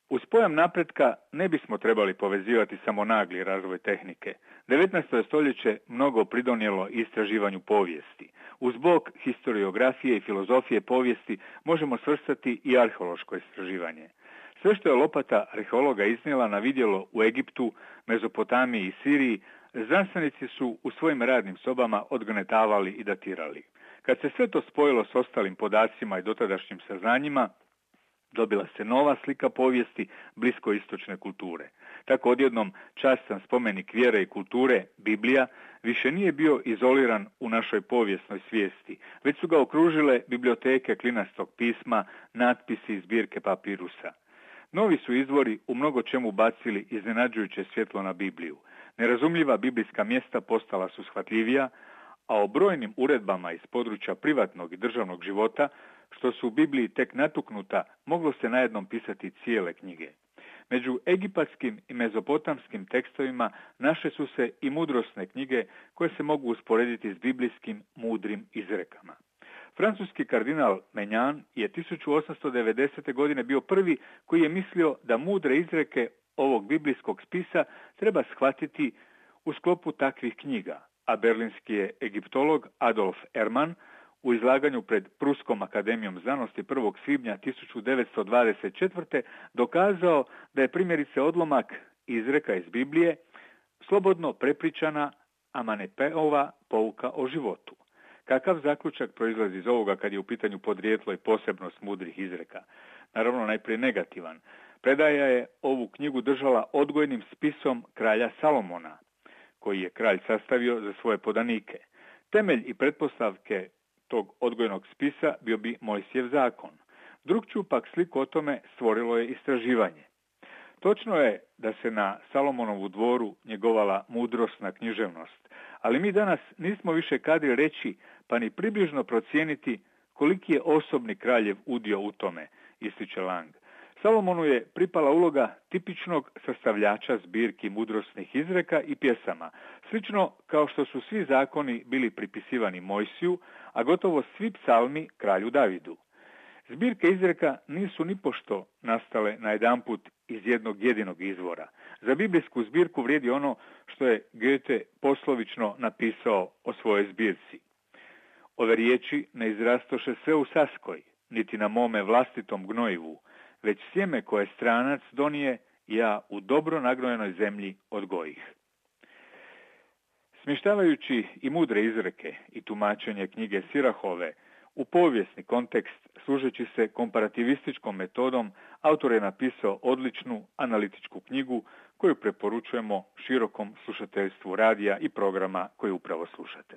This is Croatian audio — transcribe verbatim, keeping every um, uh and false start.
Uz pojam napretka ne bismo trebali povezivati samo nagli razvoj tehnike. devetnaesto stoljeće mnogo pridonijelo istraživanju povijesti. Uz bok historiografije i filozofije povijesti možemo svrstati i arheološko istraživanje. Sve što je lopata arheologa iznijela na vidjelo u Egiptu, Mezopotamiji i Siriji, znanstvenici su u svojim radnim sobama odgnetavali i datirali. Kad se sve to spojilo s ostalim podacima i dotadašnjim saznanjima, dobila se nova slika povijesti bliskoistočne kulture. Tako odjednom častan spomenik vjere i kulture, Biblija, više nije bio izoliran u našoj povijesnoj svijesti, već su ga okružile biblioteke klinastog pisma, natpisi i zbirke papirusa. Novi su izvori u mnogo čemu bacili iznenađujuće svjetlo na Bibliju. Nerazumljiva biblijska mjesta postala su shvatljivija, a o brojnim uredbama iz područja privatnog i državnog života, što su u Bibliji tek natuknuta, moglo se najednom pisati cijele knjige. Među egipatskim i mezopotamskim tekstovima naše su se i mudrosne knjige koje se mogu usporediti s biblijskim mudrim izrekama. Francuski kardinal Menjan je tisuću osamsto devedesete. godine bio prvi koji je mislio da mudre izreke ovog biblijskog spisa treba shvatiti u sklopu takvih knjiga, a berlinski je egiptolog Adolf Erman u izlaganju pred Pruskom akademijom znanosti prvog svibnja tisuću devetsto dvadeset četvrte. dokazao da je primjerice odlomak izreka iz Biblije slobodno prepričana Amanepeova pouka o životu. Kakav zaključak proizlazi iz ovoga kad je u pitanju podrijetlo i posebnost mudrih izreka? Naravno, najprije negativan. Predaja je ovu knjigu držala odgojnim spisom kralja Salomona, koji je kralj sastavio za svoje podanike. Temelj i pretpostavke tog odgojnog spisa bio bi Mojsijev zakon. Drugčiju pak sliku o tome stvorilo je istraživanje. Točno je da se na Salomonovu dvoru njegovala mudrosna književnost, ali mi danas nismo više kadri reći pa ni približno procijeniti koliki je osobni kraljev udio u tome, ističe Lang. Salomonu je pripala uloga tipičnog sastavljača zbirki mudrosnih izreka i pjesama, slično kao što su svi zakoni bili pripisivani Mojsiju, a gotovo svi psalmi kralju Davidu. Zbirke izreka nisu nipošto nastale najedanput iz jednog jedinog izvora. Za biblijsku zbirku vrijedi ono što je Goethe poslovično napisao o svojoj zbirci. Ove riječi ne izrastoše sve u saskoj, niti na mome vlastitom gnojivu, već sjeme koje stranac donije, ja u dobro nagnojenoj zemlji odgojih. Smještavajući i mudre izreke i tumačenje knjige Sirahove u povijesni kontekst, služeći se komparativističkom metodom, autor je napisao odličnu analitičku knjigu koju preporučujemo širokom slušateljstvu radija i programa koje upravo slušate.